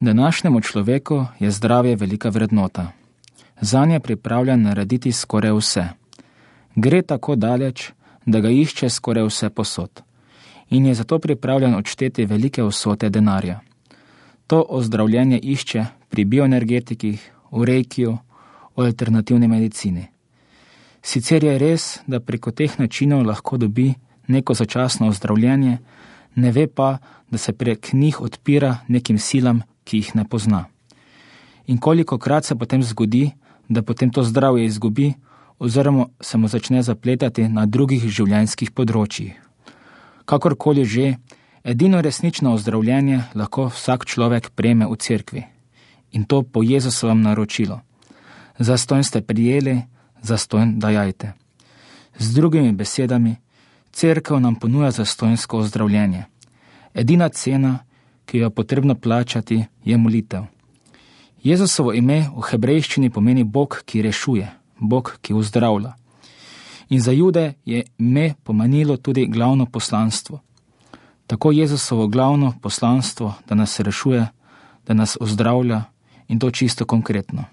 Današnjemu človeku je zdravje velika vrednota. Zanje je pripravljen narediti skoraj vse. Gre tako daleč, da ga išče skoraj vse posod. In je zato pripravljen odšteti velike vsote denarja. To ozdravljenje išče pri bioenergetikih, v reikiju, v alternativni medicini. Sicer je res, da preko teh načinov lahko dobi neko začasno ozdravljenje, ne ve pa, da se prek njih odpira nekim silam, ki jih ne pozna. In kolikokrat se potem zgodi, da potem to zdravje izgubi, oziroma se mu začne zapletati na drugih življenjskih področjih. Kakorkoli že, edino resnično ozdravljenje lahko vsak človek prejme v cerkvi. In to po Jezusovem naročilu. Zastonj ste prijeli, zastonj dajajte. Z drugimi besedami, cerkev nam ponuja zastonjsko ozdravljenje. Edina cena, ki jo je potrebno plačati, je molitev. Jezusovo ime v hebrejščini pomeni Bog, ki rešuje, Bog, ki uzdravlja. In za Jude je ime pomenilo tudi glavno poslanstvo. Tako Jezusovo glavno poslanstvo, da nas rešuje, da nas uzdravlja, in to čisto konkretno.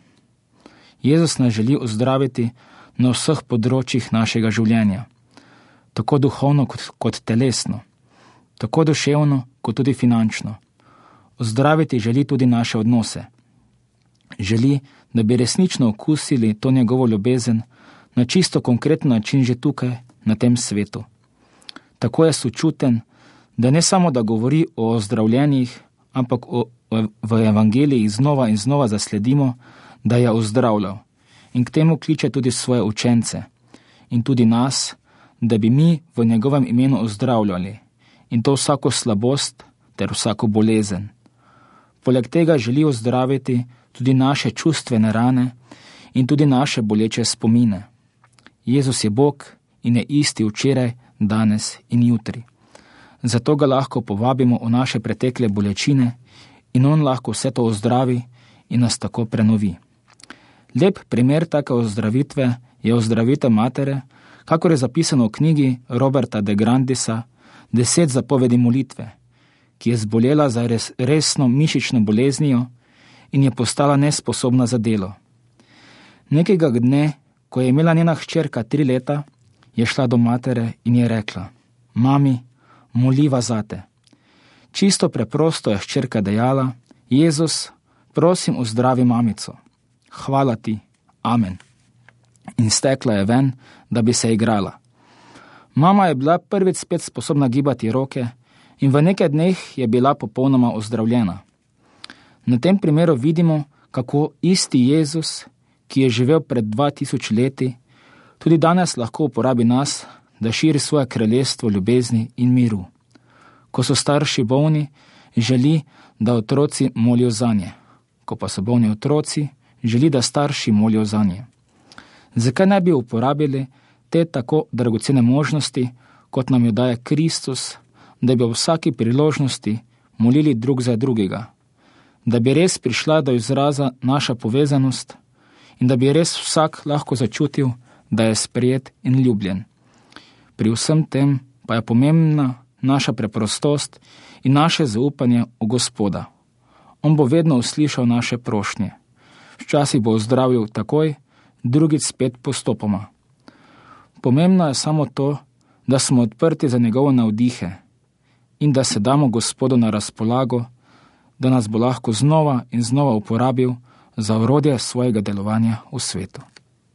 Jezus nas želi uzdraviti na vseh področjih našega življenja, tako duhovno kot telesno, tako duševno kot tudi finančno. Uzdraviti želi tudi naše odnose. Želi, da bi resnično okusili to njegovo ljubezen na čisto konkreten način že tukaj, na tem svetu. Tako je sočuten, da ne samo da govori o ozdravljenjih, ampak v evangeliji znova in znova zasledimo, da je ozdravljal. In k temu kliče tudi svoje učence in tudi nas, da bi mi v njegovem imenu ozdravljali, in to vsako slabost ter vsako bolezen. Poleg tega želi ozdraviti tudi naše čustvene rane in tudi naše boleče spomine. Jezus je Bog in je isti včeraj, danes in jutri. Zato ga lahko povabimo v naše pretekle bolečine in on lahko vse to ozdravi in nas tako prenovi. Lep primer take ozdravitve je ozdravitev matere, kakor je zapisano v knjigi Roberta de Grandisa 10 zapovedi molitve, ki je zbolela za resno mišično boleznijo in je postala nesposobna za delo. Nekega dne, ko je imela njena hčerka 3 leta, je šla do matere in je rekla: Mami, moliva zate. Čisto preprosto je hčerka dejala: Jezus, prosim, uzdravi mamico. Hvala ti, amen. In stekla je ven, da bi se igrala. Mama je bila prvič spet sposobna gibati roke in v nekaj dneh je bila popolnoma ozdravljena. Na tem primeru vidimo, kako isti Jezus, ki je živel pred 2000 leti, tudi danes lahko uporabi nas, da širi svoje kraljestvo ljubezni in miru. Ko so starši bolni, želi, da otroci molijo zanje. Ko pa so bolni otroci, želi, da starši molijo zanje. Zakaj ne bi uporabili te tako dragocene možnosti, kot nam jo daje Kristus, da bi v vsaki priložnosti molili drug za drugega, da bi res prišla do izraza naša povezanost in da bi res vsak lahko začutil, da je sprejet in ljubljen. Pri vsem tem pa je pomembna naša preprostost in naše zaupanje v Gospoda. On bo vedno uslišal naše prošnje. Včasih bo ozdravil takoj, drugič spet postopoma. Pomembno je samo to, da smo odprti za njegovo navdihe in da se damo Gospodu na razpolago, da nas bo lahko znova in znova uporabil za orodje svojega delovanja v svetu.